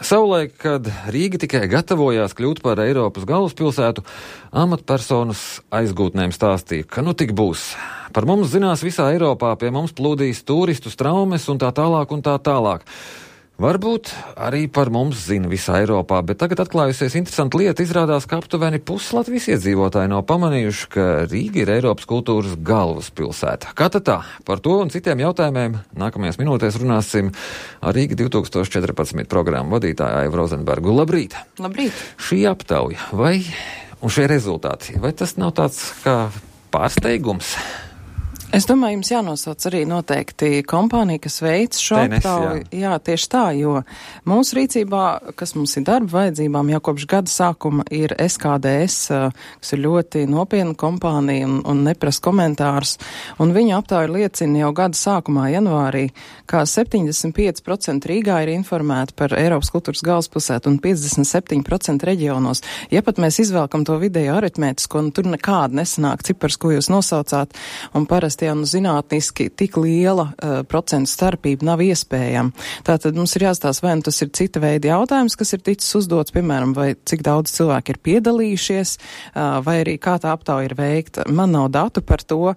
Savulaik, kad Rīga tikai gatavojās kļūt par Eiropas galvaspilsētu, amatpersonas aizgūtnēm stāstīja, ka nu tik būs. Par mums zinās visā Eiropā, pie mums plūdīs turistu traumes un tā tālāk un tā tālāk. Varbūt arī par mums zina visā Eiropā, bet tagad atklājusies interesanta lieta. Izrādās, ka aptuveni pusi Latvijas iedzīvotāji nav pamanījuši, ka Rīga ir Eiropas kultūras galvaspilsēta. Kā tad tā? Par to un citiem jautājumiem nākamajās minūtēs runāsim ar Rīga 2014 programmu vadītāju Aivu Rozenbergu. Labrīt! Labrīt! Šī aptauja un šie rezultāti, vai tas nav tāds kā pārsteigums? Es domāju, jums jānosauc arī noteikti kompānija, kas veic šo aptauju. Jā, tieši tā, jo mūsu rīcībā, kas mums ir darba vajadzībām, jau kopš gada sākuma ir SKDS, kas ir ļoti nopietna kompānija un neprasa komentārus. Un viņa aptauja liecina jau gada sākumā, janvārī, kā 75% Rīgā ir informēti par Eiropas kultūras galvaspilsētu un 57% reģionos. Ja pat mēs izvelkam to vidējo aritmētisko, tur nekāda nesanāk cipars, ko jūs nosaucāt, un parasti zinātniski tik liela procentu starpība nav iespējama. Tātad mums ir jāstāsta, vai tas ir cita veida jautājums, kas ir ticis uzdots, piemēram, vai cik daudz cilvēki ir piedalījušies, vai arī kā tā aptauja ir veikta. Man nav datu par to.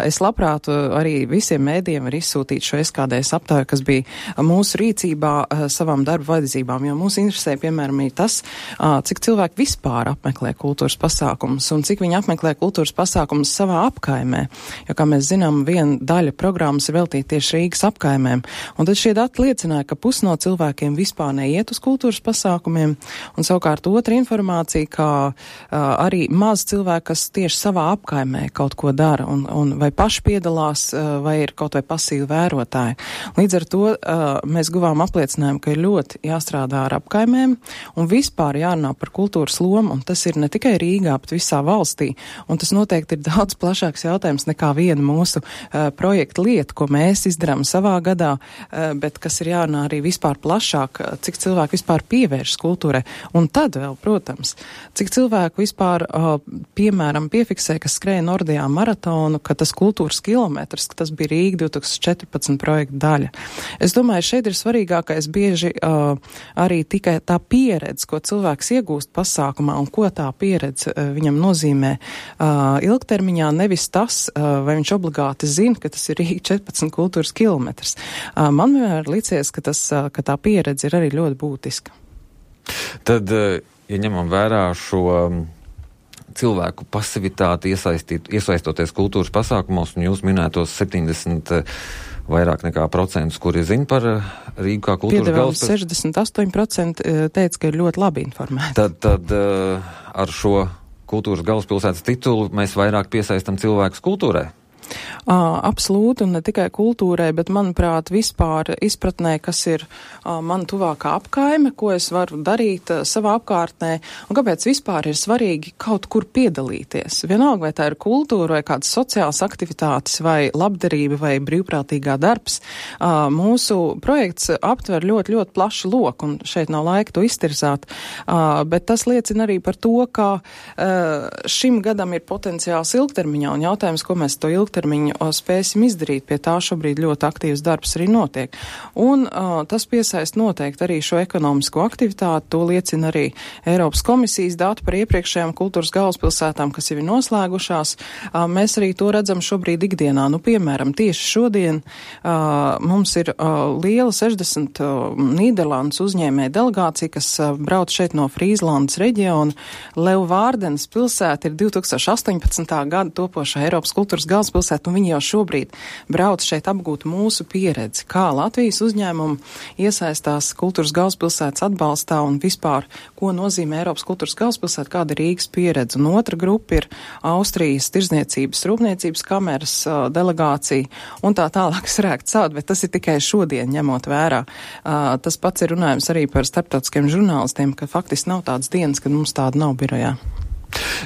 Es labprāt arī visiem mēdījiem var izsūtīt šo SKDS aptauju, kas bija mūsu rīcībā savām darba vajadzībām, jo mūs interesē, piemēram, ir tas, cik cilvēki vispār apmeklē kultūras pasākumus un cik viņi apmeklē kultūras pasākumus savā apkaimē. Jo, kā mēs zinām, viena daļa programmas ir veltīta tieši Rīgas apkaimēm. Un tad šie dati liecināja, ka pusi no cilvēkiem vispār neiet uz kultūras pasākumiem. Un savukārt otra informācija, ka arī maz cilvēki, kas tieši savā apkaimē kaut ko dara un vai paši piedalās, vai ir kaut vai pasīvi vērotāji. Līdz ar to mēs guvām apliecinājumu, ka ir ļoti jāstrādā ar apkaimēm un vispār jārunā par kultūras lomu. Un tas ir ne tikai Rīgā, bet visā valstī. Un tas noteikti ir daudz plašāks jautājums nekā viena mūsu projekta lieta, ko mēs izdarām savā gadā, bet kas ir jārunā arī vispār plašāk, cik cilvēki vispār pievēršas kultūrai. Un tad vēl, protams, cik cilvēku vispār, piemēram, piefiksē, ka skrēja Nordijā maratonu, ka tas kultūras kilometrs, ka tas bija Rīga 2014 projekta daļa. Es domāju, šeit ir svarīgākais bieži arī tikai tā pieredze, ko cilvēks iegūst pasākumā un ko tā pieredze viņam nozīmē ilgtermiņā, nevis tas, vai viņš obligāti zina, ka tas ir Rīga 14 kultūras kilometrs. Man vienmēr licies, ka tā pieredze ir arī ļoti būtiska. Tad, ja ņemam vērā šo cilvēku pasivitāti iesaistoties kultūras pasākumos, un jūs minētos 70 vairāk nekā procentus, kuri zina par Rīgu kā kultūras galvaspilsētu. 68% teica, ka ir ļoti labi informēti. Tad ar šo kultūras galvaspilsētas titulu mēs vairāk piesaistam cilvēkus kultūrai? Absolūti, un ne tikai kultūrai, bet, manuprāt, vispār izpratnē, kas ir man tuvākā apkaime, ko es varu darīt savā apkārtnē, un kāpēc vispār ir svarīgi kaut kur piedalīties. Vienalga, vai tā ir kultūra, vai kādas sociālas aktivitātes, vai labdarība, vai brīvprātīgā darbs. Mūsu projekts aptver ļoti, ļoti plašu loku, un šeit nav laika to iztirzāt, bet tas liecina arī par to, ka šim gadam ir potenciāls ilgtermiņā, un jautājums, ko mēs to ilgtermiņu spēsim izdarīt, pie tā šobrīd ļoti aktīvs darbs arī notiek. Un tas piesaist noteikti arī šo ekonomisko aktivitāti, to liecina arī Eiropas komisijas dati par iepriekšējām kultūras galvaspilsētām, kas jau ir noslēgušās. Mēs arī to redzam šobrīd ikdienā. Nu, piemēram, tieši šodien mums ir liela 60 Nīderlandes uzņēmēja delegācija, kas brauc šeit no Frīzlandes reģiona. Leeuwardens pilsēta ir 2018. gada topošā Eiropas kultūras galvaspilsēta, un viņi jau šobrīd brauc šeit apgūt mūsu pieredzi, kā Latvijas uzņēmumi iesaistās kultūras galvaspilsētas atbalstā un vispār, ko nozīmē Eiropas kultūras galvaspilsēta, kāda ir Rīgas pieredze. Un otra grupa ir Austrijas tirzniecības rūpniecības kameras delegācija un tā tālāk sarēkt sād, bet tas ir tikai šodien ņemot vērā. Tas pats ir runājums arī par starptautiskiem žurnālistiem, ka faktiski nav tādas dienas, kad mums tāda nav birojā.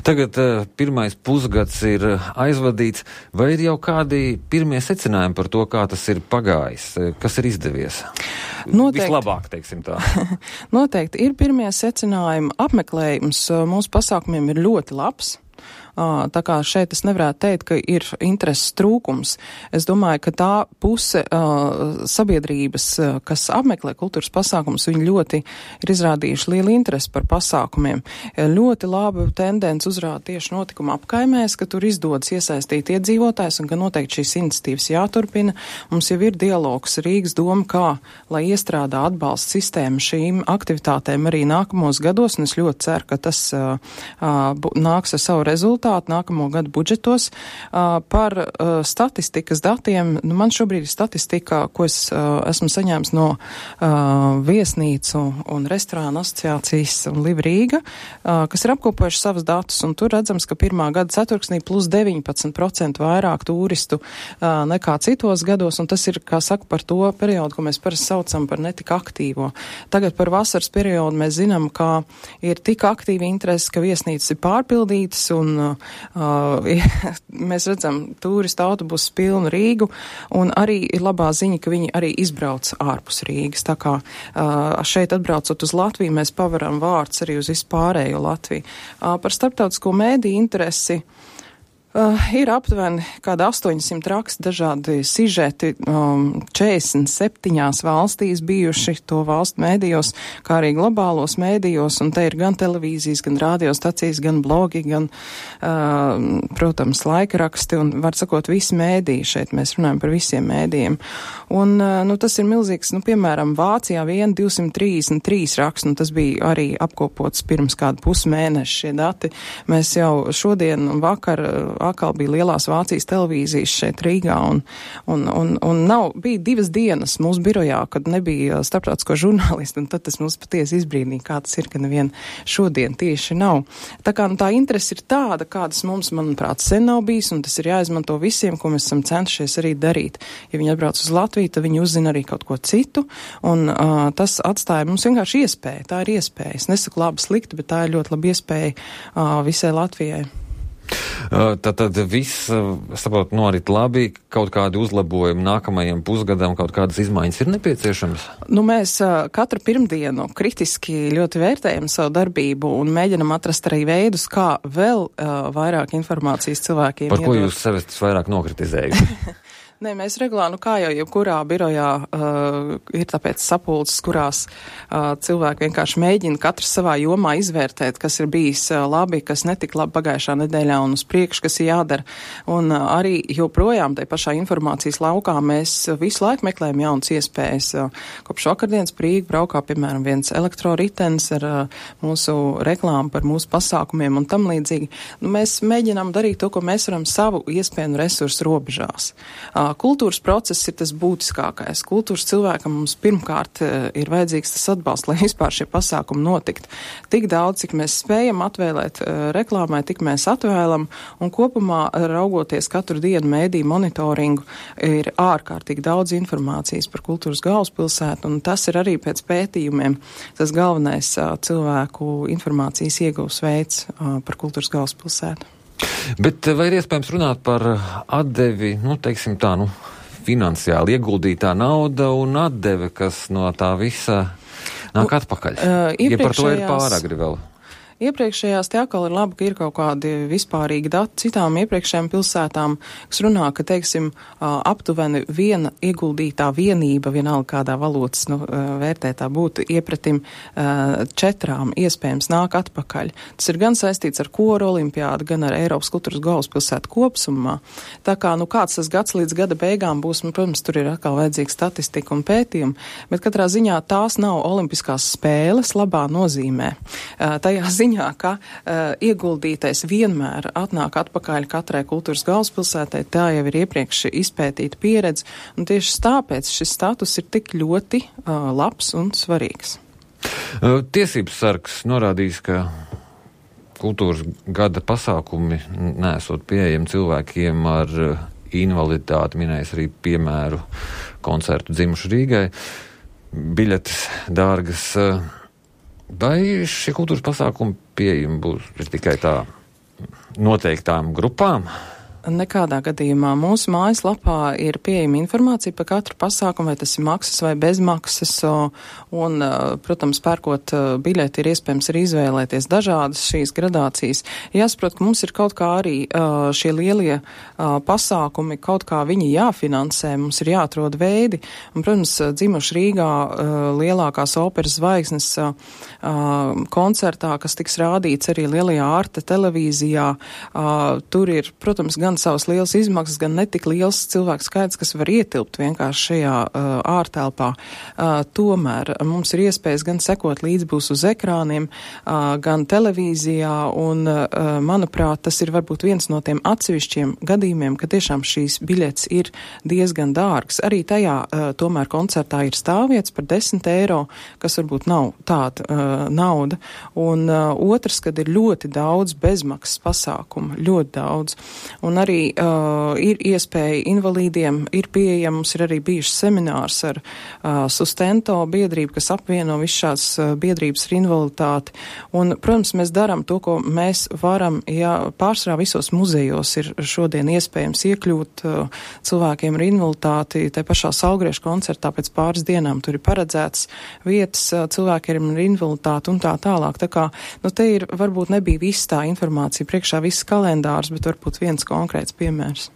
Tagad pirmais pusgads ir aizvadīts, vai ir jau kādi pirmie secinājumi par to, kā tas ir pagājis, kas ir izdevies? Noteikti. Vislabāk, teiksim tā. Noteikti ir pirmie secinājumi. Apmeklējums mūsu pasākumiem ir ļoti labs. Tā kā šeit es nevarētu teikt, ka ir intereses trūkums. Es domāju, ka tā puse sabiedrības, kas apmeklē kultūras pasākumus, viņi ļoti ir izrādījuši lielu interesi par pasākumiem. Ļoti laba tendence uzrāda tieši notikuma apkaimēs, ka tur izdodas iesaistīt iedzīvotājs un ka noteikti šīs iniciatīvas jāturpina. Mums jau ir dialogs Rīgas doma, kā, lai iestrādā atbalsta sistēmu šīm aktivitātēm arī nākamos gados, un es ļoti ceru, ka tas nāks ar savu rezultātu nākamo gadu budžetos. Par statistikas datiem, man šobrīd ir statistika, ko es esmu saņēmis no viesnīcu un restorānu asociācijas un Live Rīga, kas ir apkopojuši savus datus, un tur redzams, ka pirmā gada ceturksnī plus 19% vairāk turistu nekā citos gados, un tas ir, kā saka, par to periodu, ko mēs parasti saucam par netik aktīvo. Tagad par vasaras periodu mēs zinām, ka ir tik aktīvi interesi, ka viesnīcas ir pārpildītas, un mēs redzam turistu autobusus pilnu Rīgu, un arī ir labā ziņa, ka viņi arī izbrauc ārpus Rīgas. Tā kā šeit atbraucot uz Latviju, mēs pavaram vārds arī uz vispārējo Latviju. Par starptautisko mēdīju interesi ir aptuveni kāda 800 raksti, dažādi sižeti, 47 valstīs bijuši to valstu mēdījos, kā arī globālos mēdījos, un te ir gan televīzijas, gan radiostacijas, gan blogi, gan, protams, laikraksti, un, var sakot, visi mēdīji, šeit mēs runājam par visiem mēdījiem. Un, tas ir milzīgs, piemēram, Vācijā 233 raksti, un tas bija arī apkopots pirms kādu pusmēnešu šie dati. Mēs jau šodien un vakar atkal bija lielās Vācijas televīzijas šeit Rīgā, un bija 2 dienas mūsu birojā, kad nebija starptautisko žurnālistu, un tad tas mums patiesi izbrīnīja, kā tas ir, ka nevien šodien tieši nav. Tā kā tā interese ir tāda, kādas mums, manuprāt, sen nav bijis, un tas ir jāizmanto visiem, ko mēs esam centušies arī darīt. Ja viņi atbrauc uz Latviju, tad viņi uzzina arī kaut ko citu, un tas atstāja mums vienkārši iespēju. Tā ir iespēja. Es nesaku labi slikti, bet tā ir ļoti laba iespēja visai Latvijai. Tad viss, saprot, norit labi, kaut kādi uzlabojumi nākamajam pusgadam, kaut kādas izmaiņas ir nepieciešamas? Mēs katru pirmdienu kritiski ļoti vērtējam savu darbību un mēģinam atrast arī veidus, kā vēl vairāk informācijas cilvēkiem Par ko jūs sevi vairāk nokritizējuši? Nē, mēs regulāri, kā jau jebkurā birojā ir tāpēc sapulces, kurās cilvēki vienkārši mēģina katrs savā jomā izvērtēt, kas ir bijis labi, kas netika labi pagājušā nedēļā un uz priekšu, kas ir jādara. Un arī joprojām tai pašā informācijas laukā mēs visu laiku meklējam jaunas iespējas. Kopš vakardienas Rīga braukā, piemēram, viens elektroritens ar mūsu reklāmu par mūsu pasākumiem un tam līdzīgi. Mēs mēģinām darīt to, ko mēs varam savu iespēju un resursu robežās. Kultūras process ir tas būtiskākais. Kultūras cilvēkam mums pirmkārt ir vajadzīgs tas atbalsts, lai vispār šie pasākumi notikt. Tik daudz, cik mēs spējam atvēlēt reklāmai, tik mēs atvēlam, un kopumā raugoties katru dienu mēdīju monitoringu ir ārkārtīgi daudz informācijas par kultūras galvaspilsētu, un tas ir arī pēc pētījumiem tas galvenais cilvēku informācijas ieguvs veids par kultūras galvaspilsētu. Bet vai ir iespējams runāt par atdevi, teiksim tā, finansiāli ieguldītā nauda un atdeve, kas no tā visa nāk atpakaļ? Ja par to ir pāragri vēl? Iepriekšējās te atkal ir labi, ka ir kaut kādi vispārīgi dati citām iepriekšējām pilsētām, kas runā, ka, teiksim, aptuveni viena ieguldītā vienība, vienalga kādā valodas vērtētā būtu iepratim 4 iespējams nāk atpakaļ. Tas ir gan saistīts ar koru olimpiādu, gan ar Eiropas kultūras galvaspilsētu kopsumā. Tā kā, kāds tas gads līdz gada beigām būs, protams, tur ir atkal vajadzīga statistika un pētījumi, bet katrā ziņā tās nav olimpiskās spēles labā nozīmē. Tajā ziņā, ka ieguldītais vienmēr atnāk atpakaļ katrai kultūras galvaspilsētai, tā jau ir iepriekš izpētīta pieredze, un tieši tāpēc šis status ir tik ļoti labs un svarīgs. Tiesības sargs norādījis, ka kultūras gada pasākumi nesot pieejami cilvēkiem ar invaliditāti, minējis arī piemēru koncertu Dzimuši Rīgai, biļetes dārgas. Vai šie kultūras pasākumi pieejami būs tikai tā noteiktām grupām? Nekādā gadījumā. Mūsu mājaslapā ir pieejama informācija par katru pasākumu, vai tas ir maksas vai bezmaksas, un, protams, pērkot biļeti ir iespējams arī izvēlēties dažādas šīs gradācijas. Jāsaprot, ka mums ir kaut kā arī šie lielie pasākumi, kaut kā viņi jāfinansē, mums ir jāatrod veidi, un, protams, dzimuši Rīgā lielākās operas zvaigznes koncertā, kas tiks rādīts arī lielajā Arte televīzijā, tur ir, protams, gan savas lielas izmaksas, gan netik liels cilvēku skaits, kas var ietilpt vienkārši šajā ārtelpā. Tomēr mums ir iespējas gan sekot līdz būs uz ekrāniem, gan televīzijā, un, manuprāt, tas ir varbūt viens no tiem atsevišķiem gadījumiem, ka tiešām šīs biļetes ir diezgan dārgas. Arī tajā tomēr koncertā ir stāvvietas par 10 eiro, kas varbūt nav tāda nauda. Un otrs, kad ir ļoti daudz bezmaksas pasākumu, ļoti daudz. Un arī ir iespēja invalīdiem, ir pieejams, mums ir arī bijušas seminārs ar Sustento biedrību, kas apvieno visu šādas biedrības ar invaliditāti. Un, protams, mēs darām to, ko mēs varam, ja pārsvarā visos muzejos ir šodien iespējams iekļūt cilvēkiem ar invaliditāti, tai pašā Saulgriežu koncertā pēc pāris dienām tur ir paredzēts vietas cilvēkiem ar invaliditāti un tā tālāk. Tā kā, te ir varbūt nebija viss tā informācija priekšā, viss kalendārs, bet varbūt viens konkrēts piemērs.